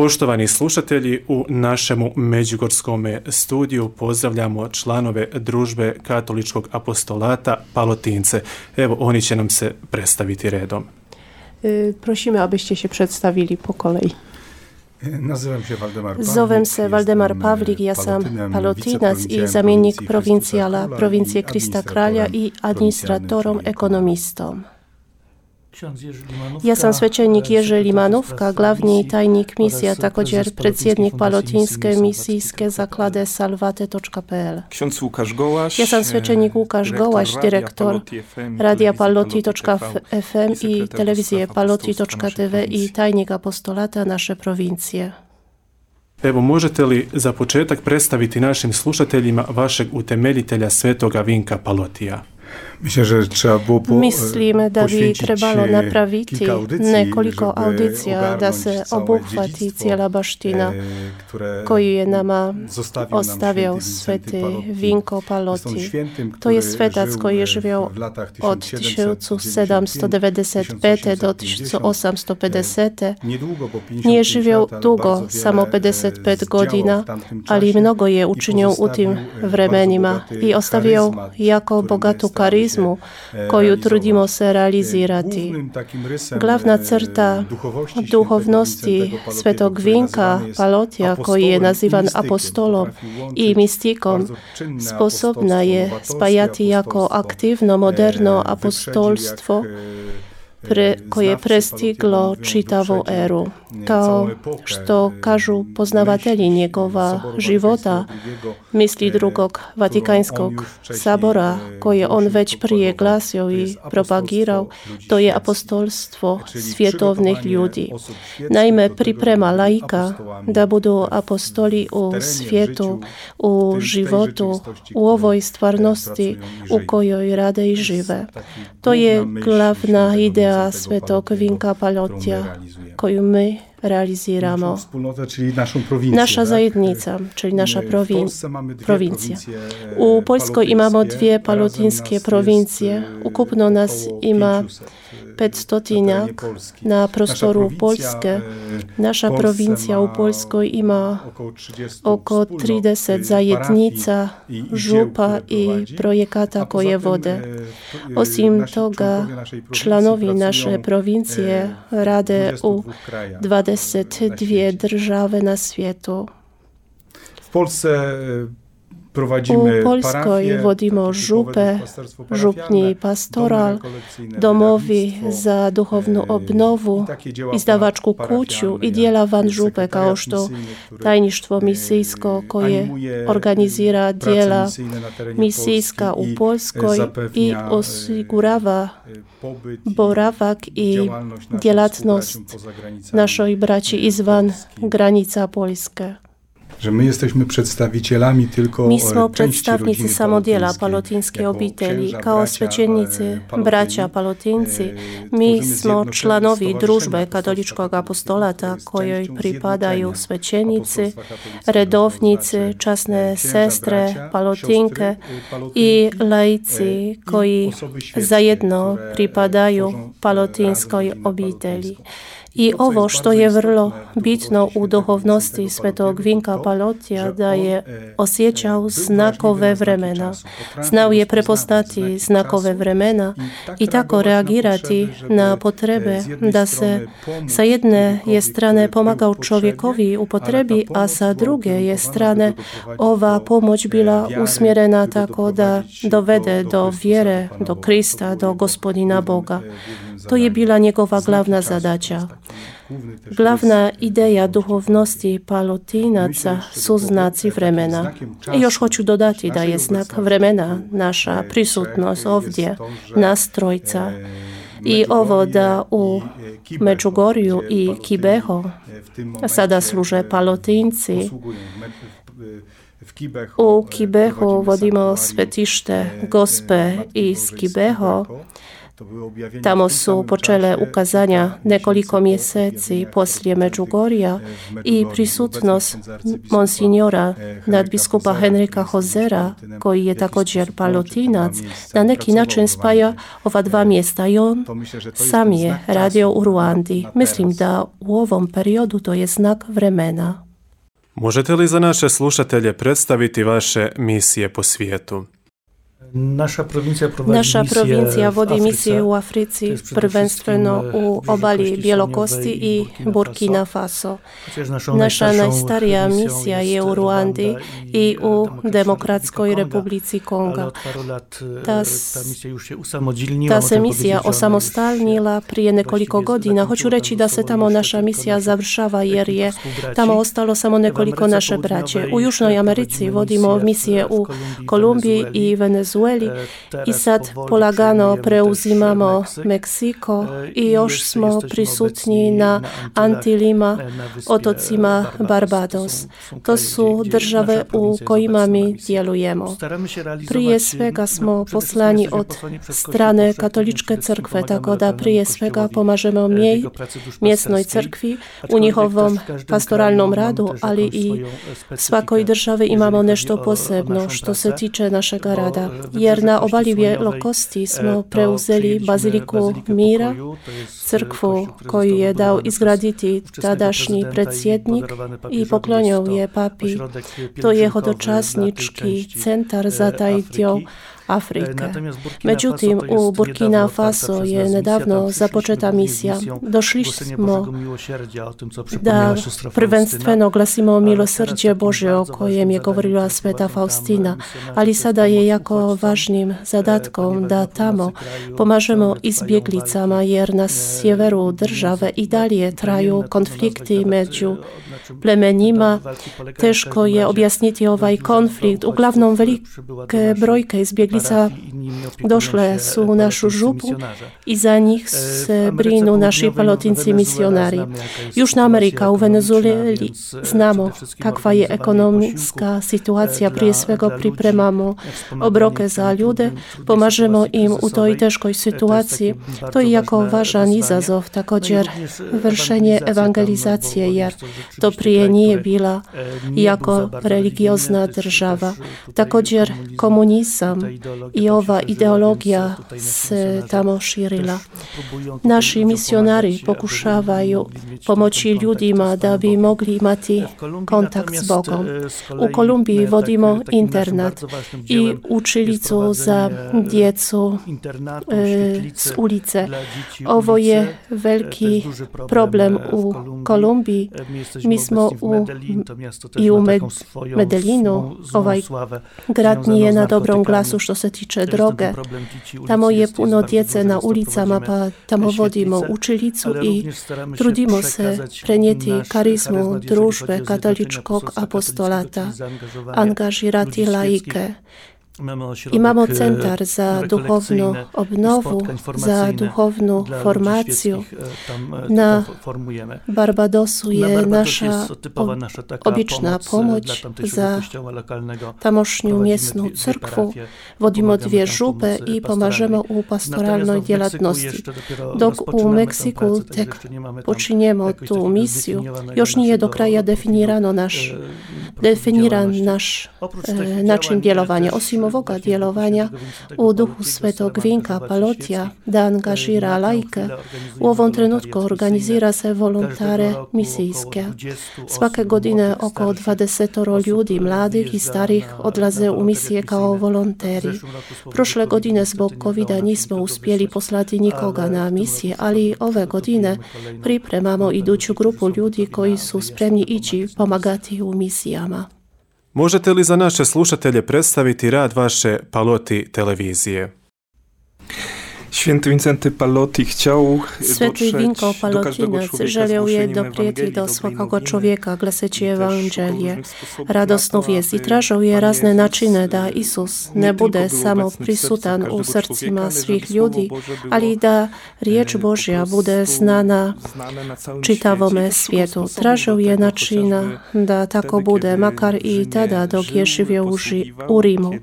Poštovani slušatelji, u našemu međugorskom studiju pozdravljamo članove družbe Katoličkog apostolata Palotince. Evo, oni će nam se predstaviti redom. Prosimy, abyście się przedstawili po kolei. Zovem se Valdemar Pavlik, ja sam palotinac i zamjenik provincijala Provincije Krista Kralja i administratorom ekonomistom. Ja sam svećenik Jerzy Limanówka, glavni tajnik misji, a također predsjednik Palotinske misijske zaklade salvate.pl. Ja sam svećenik Łukasz Gołaś, dyrektor radia paloti.fm i telewizje paloti.tv i tajnik apostolata naše provincije. Evo, možete li za početak predstaviti našim slušateljima vašeg utemeljitelja Svetoga Vinka Palotija? Mislim da bi trebalo napraviti nekoliko audicija da se obuhvati cijela baština koju je nama ostavio sveti Vinko Paloti. To je svetac koji je živio od 1795. do 1850. Nije živio dugo, samo 55 godina, ali mnogo je učinio u tim vremenima i ostavio jako bogatu karizmu koju trudimo se realizirati. Glavna crta duhovnosti svetog Vinka Palotija, koji je nazivan apostolom i mistikom, sposobna je spajati jako aktivno, moderno apostolstvo koje prestiglo čitavu eru. Kao što kažu poznavatelji njegova života, misli drugog Vatikanskog sabora, koje on već prije glasio i propagirao, to je apostolstvo svjetovnih ljudi. Naime, priprema laika da budu apostoli u svijetu, u životu, u ovoj stvarnosti u kojoj rade i žive. To je glavna ideja svetog Vinka Palotija, koju my realiziramo. Nasza zajednica, czyli nasza prowincja. U Poljskoj imamo dwie palotińskie prowincje. Ukupno nas ima 500 na prostoru Polske. Nasza prowincja u Poljskoj ima oko 30 zajednica, župa i projekata koje vode. Osim toga, članovi naše provincije rade u 22 države na svijetu. U Poljskoj vodimo župe, župni pastoral, domovi za duhovnu obnovu, izdavačku kuću i dijela van župe, kao što tajništvo misijsko koje organizira dijela misijska u Poljskoj i osigurava boravak i djelatnost našoj braći izvan granica Poljske. Mi smo predstavnici samo dijela palotinske obitelji. Kao svećenici, braća palotinci, mi smo članovi družbe Katoličkog apostolata kojoj pripadaju svećenici, redovnici, časne sestre, palotinke i laici koji zajedno pripadaju palotinskoj obitelji. I ovo što je vrlo bitno u duhovnosti svetog Vinka Palotija, da je osjećao znakove vremena. Znao je prepoznati znakove vremena i tako reagirati na potrebe da se sa jedne je strane pomagao čovjekovi u potrebi, a sa druge je strane ova pomoć bila usmjerena tako da dovede do vjere, do Krista, do Gospodina Boga. To je bila njegova glavna zadaća. Glavna ideja duhovnosti palotinaca su znaci vremena. I još hoću dodati da je znak vremena naša prisutnost ovdje, nas trojca. I ovo da u Međugorju i Kibeho sada služe palotinci. U Kibehu vodimo svetište Gospe iz Kibeho. Tamo su počele ukazanja nekoliko mjeseci poslije Međugorja i prisutnost monsignora nadbiskupa Henrika Hozera, koji je također palotinac, na neki način spaja ova dva mjesta i on sam je radio u Ruandi. Mislim da u ovom periodu to je znak vremena. Možete li za naše slušatelje predstaviti vaše misije po svijetu? Naša provincija vodi misije u Africi, prvenstveno u obali Bjelokosti i Burkina Faso. Naša najstarija misija je u Ruandi i u Demokratskoj Republici Konga. Ta se misija osamostalnila prije nekoliko godina. Hoću reći da se tamo naša misija završava jer je tamo ostalo samo nekoliko naše braće. U Južnoj Americi vodimo misije u Kolumbiji i Venezueli i sad polagano preuzimamo Meksiko i još smo prisutni na Antilima, otocima Barbados. To su države u kojima mi djelujemo. Prije svega smo poslani od strane katoličke crkve, tako da prije svega pomažemo mjesnoj crkvi u njihovom pastoralnom radu, ali i svakoj državi imamo nešto posebno što se tiče našega rada. Jer na obali Bjelokosti smo preuzeli Baziliku Mira, crkvu koju je dao izgraditi tadašnji predsjednik i poklonio je papi. To je hodočasnički centar za taj dio Afrike. Međutim, u Burkina Faso je nedavno započeta misija. Došli smo da prvenstveno glasimo milosrđe Božje o kojem je govorila sveta Faustina, ali sada je jako važnim zadatkom da tamo pomažemo izbjeglicama jer na sjeveru države i dalje traju konflikti među plemenima. Teško je objasniti ovaj konflikt. Uglavnom velike brojke izbjeglica došle su u našu župu i za njih se brinu naši palotinci misionari. Južna Amerika, u Venezueli znamo kakva je ekonomska situacija. Prije svega pripremamo obroke za ljude, pomažemo im u toj teškoj situaciji. To je jako važan izazov, također vršenje evangelizacije, jer to prije nije bila jako religiozna država. Također komunizam i ova ideologija se tamo širila. Naši misionari pokušavaju pomoći ljudima da bi mogli imati kontakt s Bogom. U Kolumbiji vodimo internat i učilicu za djecu s ulice. Ovo je veliki problem u Kolumbiji. Mi smo i u Medellinu. Ovaj grad nije na dobrom glasu što se tiče droge. Tamo je puno djece na ulicama, pa tamo vodimo učilicu i trudimo se prenijeti karizmu družbe katoličkog apostolata, angažirati laike. Imamo centar za duhovnu obnovu, za duhovnu formaciju. Na Barbadosu je naša obična pomoć za tamošnju mjesnu crkvu. Vodimo 2 župe i pomažemo u pastoralnoj djelatnosti. Dok u Meksiku tek počinjemo tu misiju, još nije do kraja definiran naš način djelovanja. Osim ovoga djelovanja u duhu svetog Vinka Palotija da angažira laike, u ovom trenutku organizira se volontare misijske. Svake godine oko 20 ljudi, mladih i starih, odlaze u misije kao volonteri. Prošle godine zbog COVID-a nismo uspjeli poslati nikoga na misije, ali ove godine pripremamo iduću grupu ljudi koji su spremni ići pomagati u misijama. Možete li za naše slušatelje predstaviti rad vaše Paloti televizije? Święty Wincenty Palotti chciał Sveti Vinko Palotinac želio je doprijeti do svakoga čovjeka glaseći evanđelje, radosnu vijest, i tražio je razne načine da Isus ne bude samo prisutan u srcima svih ljudi, ali da riječ Božja bude znana čitavome svijetu. Tražio je načina da tako bude, makar i tada dok je živio u Rimu.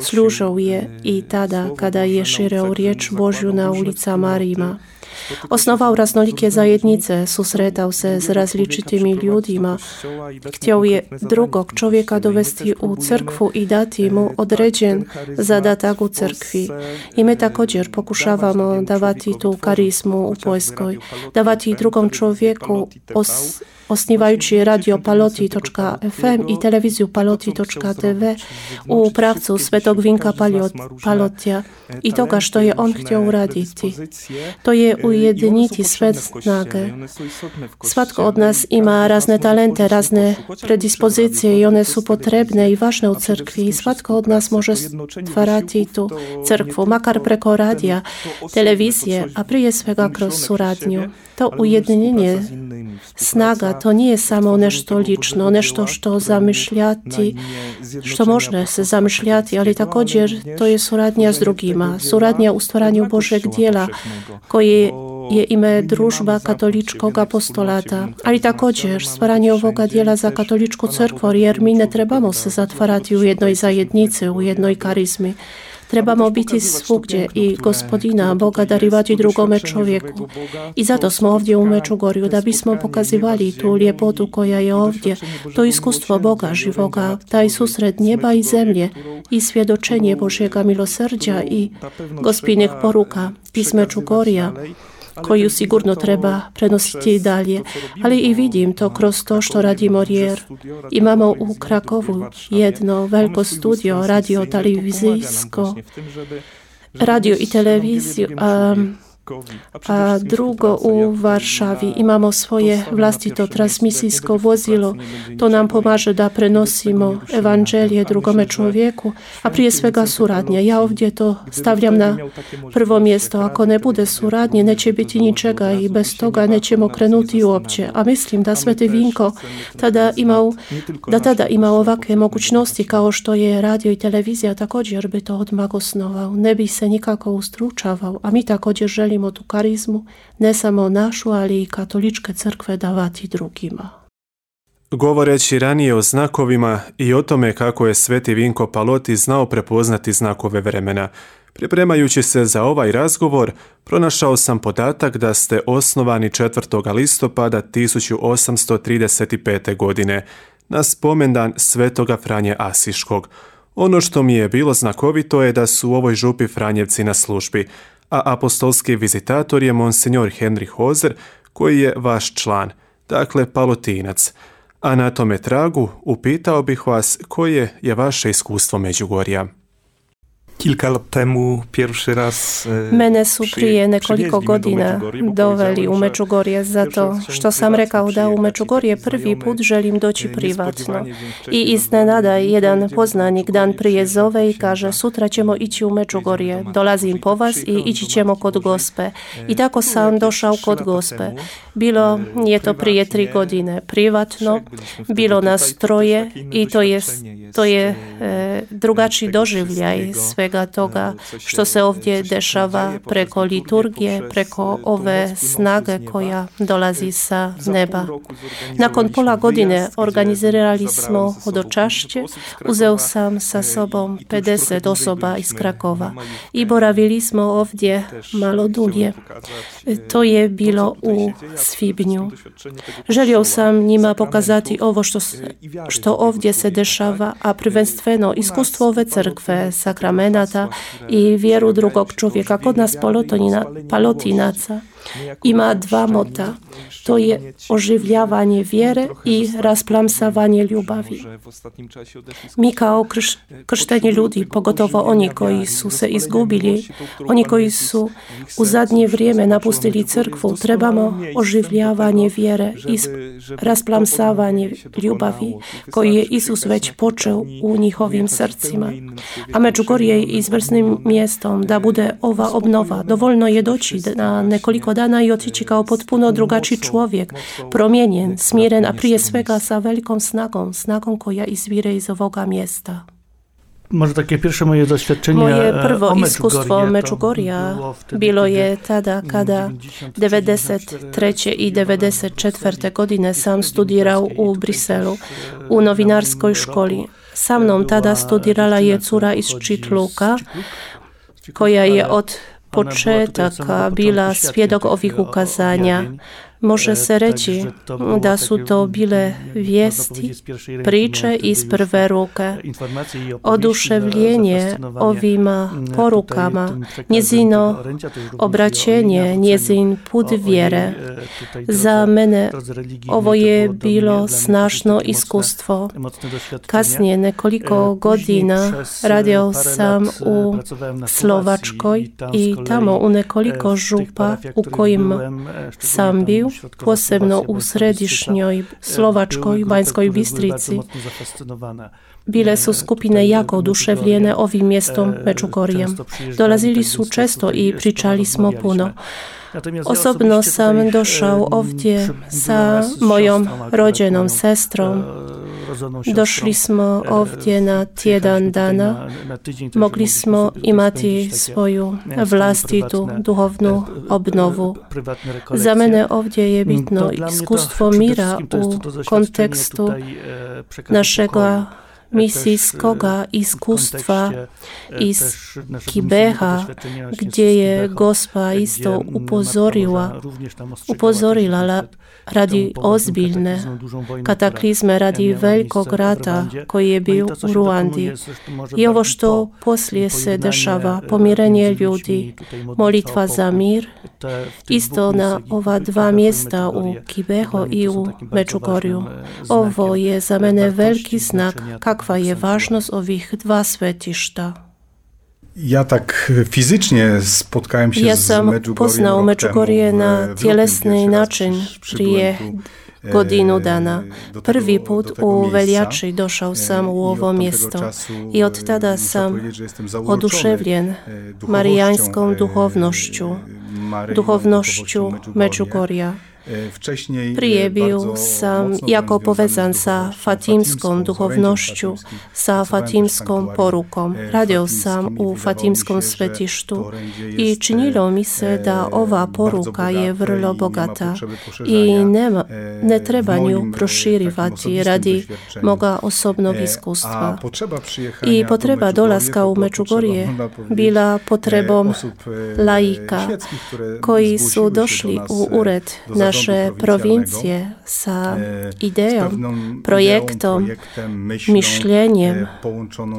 Služio je i tada kada je širio riječ Božju Božiu na ulicama Ríma. Osnoval raznoliké zajednice, susretal se s različitými ljudima. Htio je drugog čovjeka dovesti u crkvu i dati mu određen zadatak u crkvi. I mi također pokušavamo davati tu karizmu u Poljskoj, davati drugom čovjeku osnivajući radio Paloti.fm i televiziju Paloti.tv u pravcu Svetog Vinka Palotija i toga što je on htio uraditi. To je ujediniti sve snage. Svatko od nas ima razne talente, razne predispozicije i one su potrebne i važne u crkvi i svatko od nas može stvarati tu crkvu, makar preko radija, televizije, a prije svega kroz suradnju. To ujedinjenje snaga, to nije samo nešto lično, nešto što zamišljati, što može se zamišljati, ali također to je suradnja s drugima, suradnja u stvaranju Božeg dijela, koje je ime družba katoličkog apostolata, ali također stvaranje ovoga dijela za katoličku crkvu, jer mi ne trebamo se zatvarati u jednoj zajednici, u jednoj karizmi. Trebamo biti svugdje i Gospodina Boga darivati drugome čovjeku. I zato smo ovdje u Međugorju, da bismo pokazivali tu ljepotu koja je ovdje, to iskustvo Boga živoga, taj susret njeba i zemlje i svjedočenje Božjega milosrđa i Gospinih poruka iz Međugorja, koju sigurno treba prenositi dalje. Ali i vidim to kroz to što radimo jer imamo u Krakovu jedno veliko studio, radio i televiziju, a drugo u Varšavi. Imamo svoje vlastito transmisijsko vozilo. To nam pomaže da prenosimo evanđelje drugome čovjeku, a prije svega suradnja. Ja ovdje to stavljam na prvo mjesto. Ako ne bude suradnje, neće biti ničega i bez toga nećemo krenuti uopće. A mislim da Sveti Vinko tada ima ovakve mogućnosti kao što je radio i televizija, također bi to odmah osnovao. Ne bi se nikako ustručavao, a mi također želimo tu karizmu, ne samo našu, ali i katoličke crkve davati drugima. Govoreći ranije o znakovima i o tome kako je Sveti Vinko Paloti znao prepoznati znakove vremena, pripremajući se za ovaj razgovor, pronašao sam podatak da ste osnovani 4. listopada 1835. godine, na spomendan Svetoga Franje Asiškog. Ono što mi je bilo znakovito je da su u ovoj župi Franjevci na službi, a apostolski vizitator je monsignor Henry Hozer, koji je vaš član, dakle palotinac. A na tome tragu upitao bih vas koje je vaše iskustvo Međugorja. Kilka lat temu pierwszy raz Mene su prije nekoliko godina doveli u Međugorje zato što sam rekao da u Međugorje prvi put želim doći privatno. I iznenada jedan poznanik dan prije zove i kaže sutra ćemo ići u Međugorje, dolazim po vas i ići ćemo kod Gospe. I tako sam došao kod Gospe. Bilo je to prije 3 godine privatno, bilo nas 3 i to je drugačiji doživljaj svega toga što se ovdje dešava preko liturgije, preko ove snage koja dolazi sa neba. Nakon pola godine organizirali smo hodočašće, uzeo sam sa sobom 50 osoba iz Krakova i boravili smo ovdje malo dulje. To je bilo u svibnju. Želio sam njima pokazati ovo što ovdje se dešava, a prvenstveno iskustvo ove crkve, sakramenata i vjeru drugog čovjeka. Kod nas palotinaca ima 2 mota. To je oživljavanje vjere i rasplamsavanje ljubavi. Mi kao kršteni ljudi, pogotovo oni koji su se izgubili, oni koji su u zadnje vrijeme napustili crkvu, trebamo oživljavanje vjere i rasplamsavanje ljubavi koji je Isus već počeo u njihovim srcima. A Međugorje je izvrsnim mjestom da bude ova obnova. Dovoljno je doći na nekoliko dana i otići kao potpuno drugačiji čovjek, promijenjen, smiren, a prije svega sa velikom snagom koja izvire iz ovoga mjesta. Może takie pierwsze moje doświadczenie Moje prvo iskustvo Međugorja bilo je tada kada 93. i 94. godine sam studirao u Briselu u novinarskoj školi. Sa mnom tada studirala je cura iz Čitluka koja je od početaka bila svjedok ovih ukazanja. Može se reći da su to bile vijesti, priče iz prve ruke. Oduševljenje ovima porukama, njezino obraćenje, njezin put vjere. Za mene ovo je bilo snažno iskustvo. Kasnije nekoliko godina radio sam u Slovačkoj i tamo u nekoliko župa u kojima sam bio, posebno u središnjoj Slovačkoj, Banjskoj Bistrici. Bile su skupine jako oduševljene ovim mjestom Međugorjem. Dolazili su često i pričali smo puno. Osobno sam došao ovdje sa mojom rođenom sestrom. Došli smo ovdje na tjedan dana. Mogli smo imati svoju vlastitu duhovnu obnovu. Za mene ovdje je bitno iskustvo mira u kontekstu našega misijskoga iskustva iz Kibeha, gdje je Gospa isto upozorila radi ozbiljne kataklizme, radi velikog rata koji je bio u Ruandi. I ovo što poslije se dešava, pomirenje ljudi, molitva za mir, isto na ova dva mjesta u Kibeho i u Međugorju. Ovo je za mene veliki znak kakva je važnost ovih dva svetišta. Ja tak fizycznie spotkałem się z Međugorjem. Ja sam poznao Međugorje na tjelesni način prije godinu dana. Prvi put u veljači došao sam u ovo mjesto i od tada sam oduševljen marijanskom duhovnošću Međugorja. Prije bio sam jako povezan sa fatimskom duhovnošću, sa fatimskom porukom. Radio sam u fatimskom svetištu i činilo mi se da ova poruka je vrlo bogata i ne treba nju proširivati radi moga osobnog iskustva. I potreba dolaska u Međugorje bila potrebom laika koji su došli u ured naše provincije sa idejom, projektom, mišljenjem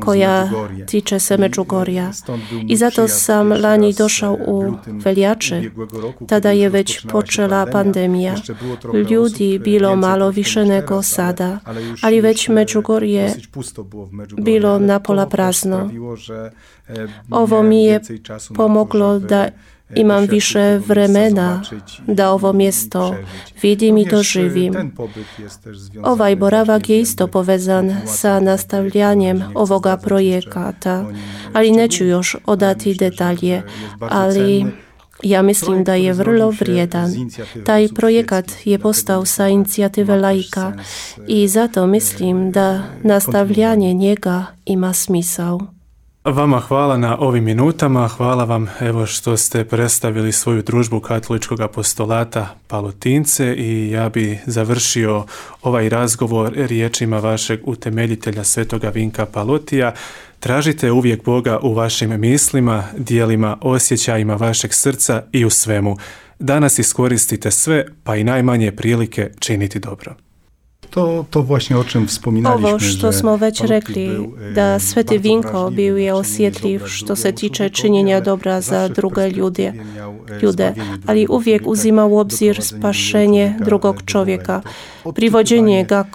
koja tiče se Međugorja. I zato sam lani došao u veljače. Tada je već počela pandemija. Ljudi bilo malo više nego sada, ali već Međugorje bilo napola prazno. Ovo mi je pomoglo da imam više vremena da ovo mjesto vidim i doživim. Ovaj boravak je isto povezan sa nastavljanjem ovoga projekata, ali neću još odati detalje, ali ja mislim da je vrlo vrijedan. Taj projekat je postao sa inicijative laika i zato mislim da nastavljanje njega ima smisao. Vama hvala na ovim minutama, hvala vam evo što ste predstavili svoju družbu Katoličkog apostolata Palotince i ja bi završio ovaj razgovor riječima vašeg utemeljitelja Svetoga Vinka Palotija. Tražite uvijek Boga u vašim mislima, dijelima, osjećajima vašeg srca i u svemu. Danas iskoristite sve, pa i najmanje prilike činiti dobro. To właśnie o čem wspominaliśmy. Ovo što smo već rekli, da Sveti Vinko bio je osjetljiv što se tiče činjenja dobra za druge ljude, ali uvijek uzima u obzir spašenje drugog čovjeka, privođenje ga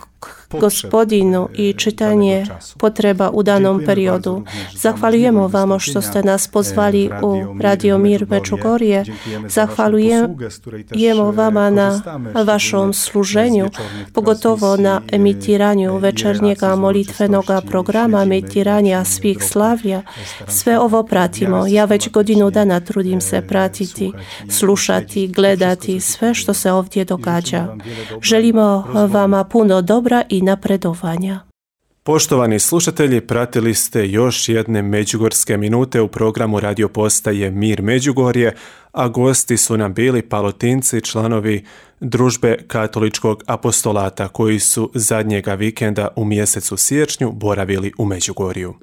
Gospodinu i čitanje potreba u danom periodu. Zahvaljujemo vama što ste nas pozvali u Radio Mir Međugorje. Zahvaljujemo vama na vašom služenju, pogotovo na emitiranju večernjega molitvenoga programa, emitiranja svih slavlja. Sve ovo pratimo. Ja već godinu dana trudim se pratiti, slušati, gledati sve što se ovdje događa. Želimo vama puno dobra i napredovanja. Poštovani slušatelji, pratili ste još jedne međugorske minute u programu radio postaje Mir Međugorje, a gosti su nam bili Palotinci, članovi družbe Katoličkog apostolata koji su zadnjega vikenda u mjesecu siječnju boravili u Međugorju.